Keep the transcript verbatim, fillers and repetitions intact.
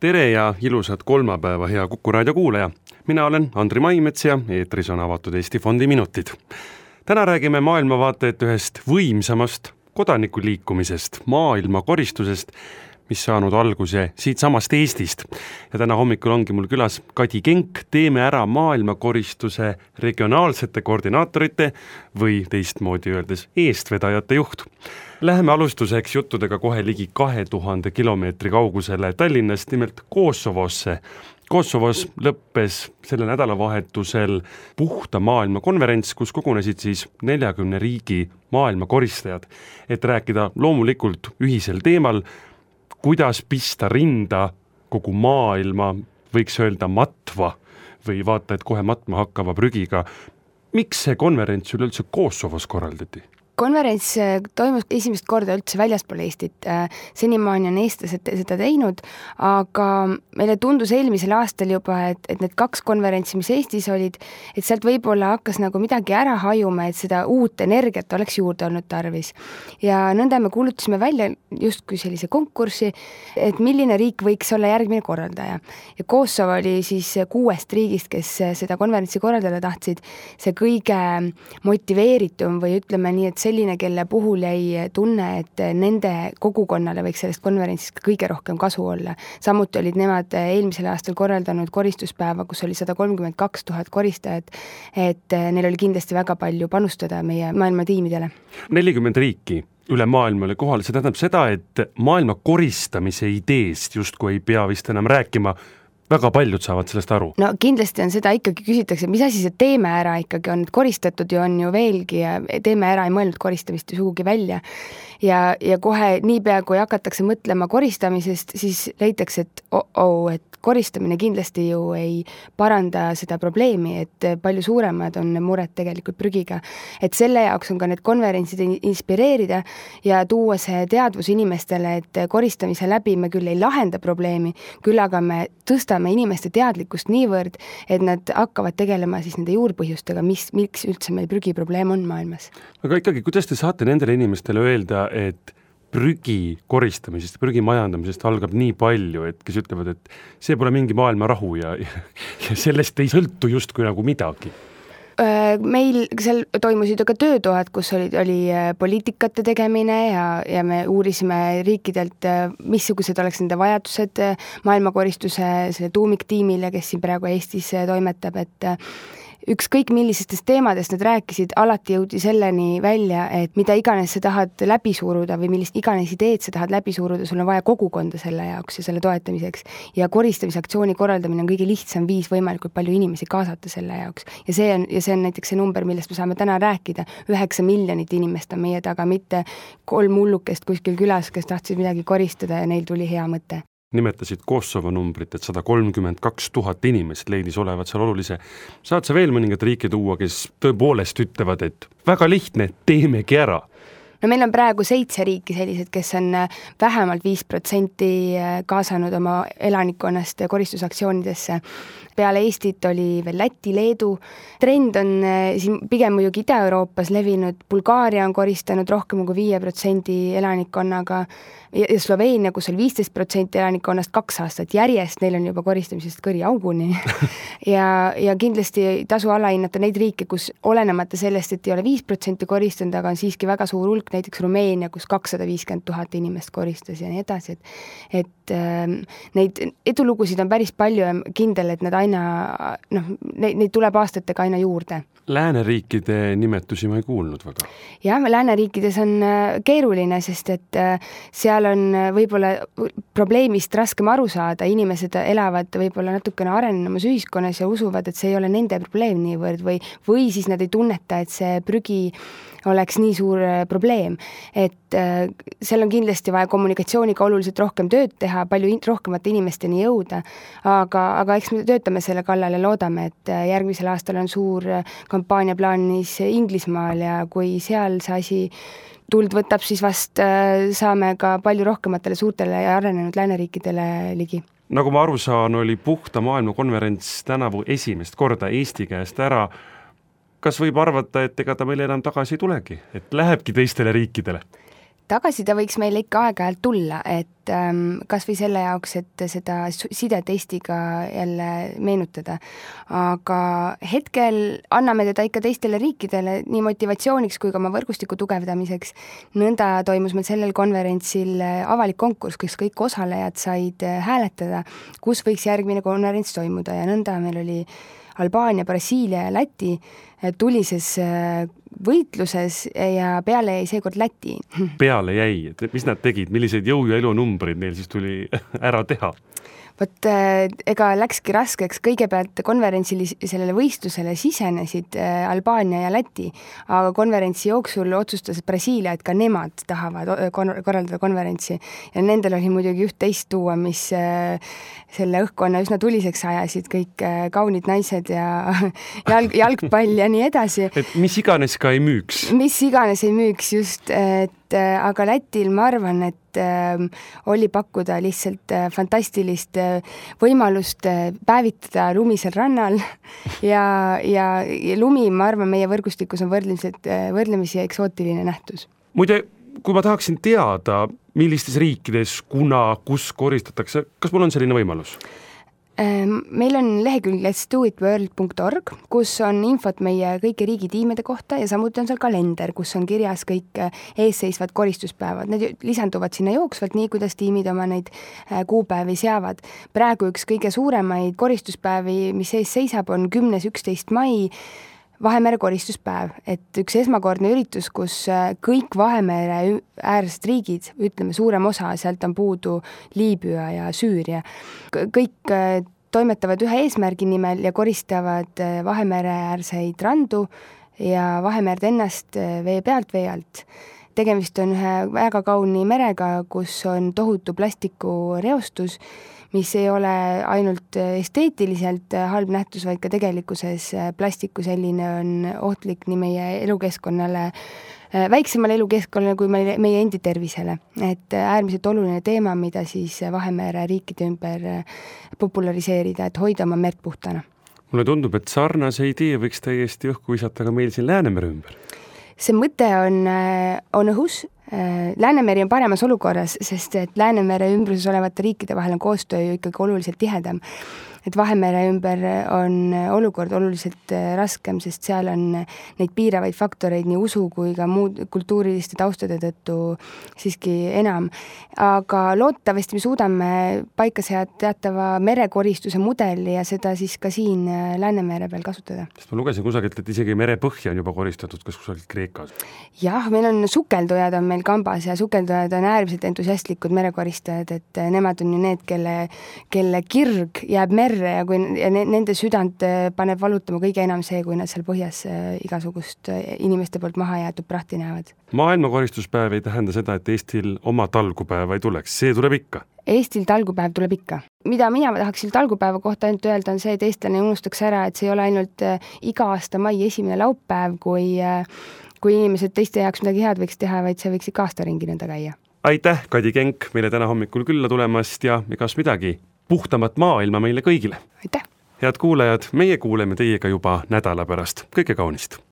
Tere ja ilusat kolmapäeva, hea Kuku raadio kuulaja. Mina olen Andri Maimets ja eetris on avatud Eesti Fondi minutid. Täna räägime maailmavaateet ühest võimsamast kodanikuliikumisest, maailmakoristusest, mis saanud alguse siit samast Eestist. Ja täna hommikul ongi mul külas Kadi Kenk, Teeme ära maailmakoristuse regionaalsete koordinaatorite või teistmoodi öeldes eestvedajate juht. Läheme alustuseks juttudega kohe ligi kahe tuhande kilomeetri kaugusele Tallinnast, nimelt Kosovosse. Kosovos lõppes selle nädalavahetusel puhta maailma konverents, kus kogunesid siis neljakümne riigi maailma koristajad, et rääkida loomulikult ühisel teemal, kuidas pista rinda kogu maailma, võiks öelda matva või vaata, et kohe matma hakkava prügiga. Miks see konverents üleüldse Kosovos korraldati? Konverents toimus esimest korda üldse väljaspool Eestit. Senimaani on eestlased seda teinud, aga meile tundus eelmisel aastal juba, et, et need kaks konverentsi, mis Eestis olid, et sealt võib-olla hakkas nagu midagi ära hajuma, et seda uut energiat oleks juurde olnud tarvis. Ja nõnda me kuulutasime välja justkui sellise konkursi, et milline riik võiks olla järgmine korraldaja. Ja Kosovo oli siis kuuest riigist, kes seda konverentsi korraldada tahtsid, see kõige motiveeritum või ütleme nii, et selline, kelle puhul jäi tunne, et nende kogukonnale võiks sellest konverentsist kõige rohkem kasu olla. Samuti olid nemad eelmisel aastal korraldanud koristuspäeva, kus oli sada kolmkümmend kaks tuhat koristajat, et neil oli kindlasti väga palju panustada meie maailma tiimidele. nelikümmend riiki üle maailma oli kohal, see tähendab seda, et maailma koristamise ideest justkui ei pea vist enam rääkima, väga paljud saavad sellest aru. No kindlasti on seda ikkagi küsitakse, mis asi see Teeme ära ikkagi on, et koristatud ju on ju veelgi ja Teeme ära ei mõelnud koristamist sugugi välja. Ja, ja kohe niipea, kui hakatakse mõtlema koristamisest, siis leitakse, et oh, oh, et koristamine kindlasti ju ei paranda seda probleemi, et palju suuremad on mured tegelikult prügiga. Et selle jaoks on ka need konverentsid inspireerida ja tuua see teadvus inimestele, et koristamise läbi me küll ei lahenda probleemi, küll aga me tõstame inimeste teadlikkust niivõrd, et nad hakkavad tegelema siis nende juurpõhjustega, mis, miks üldse meil prügiprobleem on maailmas. Aga ikkagi, kuidas te saate nendele inimestele öelda, et prügi koristamisest, prügi majandamisest algab nii palju, et kes ütlevad, et see pole mingi maailma rahu ja, ja sellest ei sõltu justkui nagu midagi? Meil seal toimusid ka töötoad, kus oli, oli poliitikate tegemine ja, ja me uurisime riikidelt, missugused oleks nende vajadused maailmakoristuse selle tuumiktiimile, kes siin praegu Eestis toimetab, et ükskõik millisestest teemadest nad rääkisid, alati jõudi selleni välja, et mida iganes sa tahad läbi suruda või millist iganes ideed sa tahad läbi suruda, sul on vaja kogukonda selle jaoks ja selle toetamiseks. Ja koristamisaktsiooni korraldamine on kõige lihtsam viis võimalikult palju inimesi kaasata selle jaoks. Ja see on, ja see on näiteks see number, millest me saame täna rääkida. Üheksa miljonit inimest on meie taga, mitte kolm hullukest kuskil külas, kes tahtsid midagi koristada ja neil tuli hea mõte. Nimetasid Kosovo numbrit, et sada kolmkümmend kaks tuhat inimest leidis olevat seal olulise. Saad sa veel mõningad riike tuua, kes tõepoolest ütlevad, et väga lihtne, teemegi ära? No meil on praegu seitse riiki sellised, kes on vähemalt viis protsenti kaasanud oma elanikkonnast koristusaktsioonidesse. Peale Eestit oli veel Läti, Leedu. Trend on siin pigem muidugi Ida-Euroopas levinud. Bulgaaria on koristanud rohkem kui viie protsendi elanikkonnaga ja Sloveenia, kus oli viisteist protsenti elanikkonnast kaks aastat järjest, neil on juba koristamisest kõri auguni. ja, ja kindlasti tasu alahinnata neid riike, kus olenemata sellest, et ei ole viis protsenti koristanud, aga on siiski väga suur hulk, näiteks Rumeenia, kus kakssada viiskümmend tuhat inimest koristas ja nii edasi. Et, et äh, neid edulugusid on päris palju ja kindel, et nad aina, noh, neid, neid tuleb aastatega aina juurde. Lääneriikide nimetusi ma ei kuulnud väga. Jah, lääneriikides on keeruline, sest et seal on võib-olla probleemist raskem aru saada. Inimesed elavad võib-olla natukene arenenumas ühiskonnas ja usuvad, et see ei ole nende probleem niivõrd või, või siis nad ei tunneta, et see prügi oleks nii suur probleem. Et äh, seal on kindlasti vaja kommunikatsiooniga oluliselt rohkem tööd teha, palju in- rohkemate inimesteni jõuda, aga, aga eks me töötame selle kallal ja loodame, et järgmisel aastal on suur kampaania plaanis Inglismaal ja kui seal see asi tuld võtab, siis vast äh, saame ka palju rohkematele suurtele ja arenenud lääneriikidele ligi. Nagu ma aru saan, oli puhta maailma konverents tänavu esimest korda Eesti käest ära. Kas võib arvata, et ega ta meile enam tagasi ei tulegi, et lähebki teistele riikidele? Tagasi ta võiks meile ikka aeg-ajalt tulla, et kas või selle jaoks, et seda sidet Eestiga jälle meenutada. Aga hetkel anname teda ikka teistele riikidele nii motivatsiooniks kui ka oma võrgustiku tugevdamiseks. Nõnda toimus meil sellel konverentsil avalik konkurss, kus kõik osalejad said hääletada, kus võiks järgmine konverents toimuda ja nõnda meil oli Albaania, Brasiilia ja Läti tulises võitluses ja peale jäi seekord Läti. Peale jäi, et mis nad tegid, milliseid jõu- ja elunumbrid neil siis tuli ära teha? Vot ega läkski raskeks, kõigepealt konverentsil sellele võistlusele sisenesid Albaania ja Läti, aga konverentsi jooksul otsustas Brasiilia, et ka nemad tahavad korraldada konverentsi ja nendel oli muidugi üht-teist tuua, mis selle õhkkonna üsna tuliseks ajasid, kõik kaunid naised ja jalg, jalgpall ja nii edasi. Et mis iganes ka ei müüks. Mis iganes ei müüks, just, et aga Lätil ma arvan, et äh, oli pakkuda lihtsalt äh, fantastilist äh, võimalust äh, päevitada lumisel rannal ja, ja, ja lumi, ma arvan, meie võrgustikus on võrdlemisi, äh, võrdlemisi eksootiline nähtus. Muide, kui ma tahaksin teada, millistes riikides, kuna, kus koristatakse, kas mul on selline võimalus? Meil on lehekülg let's do it world dot org, kus on infot meie kõiki riigitiimide kohta ja samuti on seal kalender, kus on kirjas kõik eesseisvad koristuspäevad. Need lisanduvad sinna jooksvalt nii, kuidas tiimid oma neid kuupäevi seavad. Praegu üks kõige suuremaid koristuspäevi, mis ees seisab, on kümnes üksteist mai Vahemere koristuspäev, et üks esmakordne üritus, kus kõik Vahemere äärsed riigid, ütleme suurem osa, sealt on puudu Liibüa ja Süüria, kõik toimetavad ühe eesmärgi nimel ja koristavad Vahemere äärseid randu ja Vahemerd ennast vee pealt vee alt. Tegemist on ühe väga kauni merega, kus on tohutu plastikureostus, mis ei ole ainult esteetiliselt halb nähtus, vaid ka tegelikkuses plastiku selline on ohtlik nii meie elukeskkonnale, väiksemale elukeskkonnale kui meie, meie endi tervisele. Et äärmiselt oluline teema, mida siis Vahemere riikide ümber populariseerida, et hoida oma merd puhtana. Mulle tundub, et sarnase idee võiks täiesti õhku visata ka meil siin Läänemere ümber. See mõte on, on õhus. Läänemeri on paremas olukorras, sest et Läänemere ümbruses olevate riikide vahel on koostöö ju ikkagi oluliselt tihedam. Et Vahemere ümber on olukord oluliselt raskem, sest seal on neid piiravaid faktoreid nii usu kui ka muud kultuuriliste taustade tõttu siiski enam. Aga loodetavasti me suudame paika seada teatava merekoristuse mudeli ja seda siis ka siin Läänemere peal kasutada. Sest ma lugesin kusagilt, et isegi merepõhja on juba koristatud, kas kusagilt Kreekas? Jah, meil on sukeldujad on meil kambas ja sukeldujad on äärmiselt entusiastlikud merekoristajad, et nemad on ju need, kelle, kelle kirg jääb merre ja, kui, ja nende südant paneb valutama kõige enam see, kui nad seal põhjas igasugust inimeste poolt maha jäetud prahti näevad. Maailmakoristuspäev ei tähenda seda, et Eestil oma talgupäeva ei tuleks, see tuleb ikka. Eestil talgupäev tuleb ikka. Mida mina tahaksin talgupäeva kohta ainult öelda on see, et eestlane unustaks ära, et see ei ole ainult iga aasta mai esimene laupäev, kui, kui inimesed teiste jaoks midagi head võiks teha, vaid see võiks ikka aasta ringi nõnda käia. Aitäh, Kadi Kenk, meile täna hommikul külla tulemast ja igas midagi puhtamat maailma meile kõigile. Aitäh! Head kuulajad, meie kuuleme teiega juba nädala pärast. Kõike kaunist!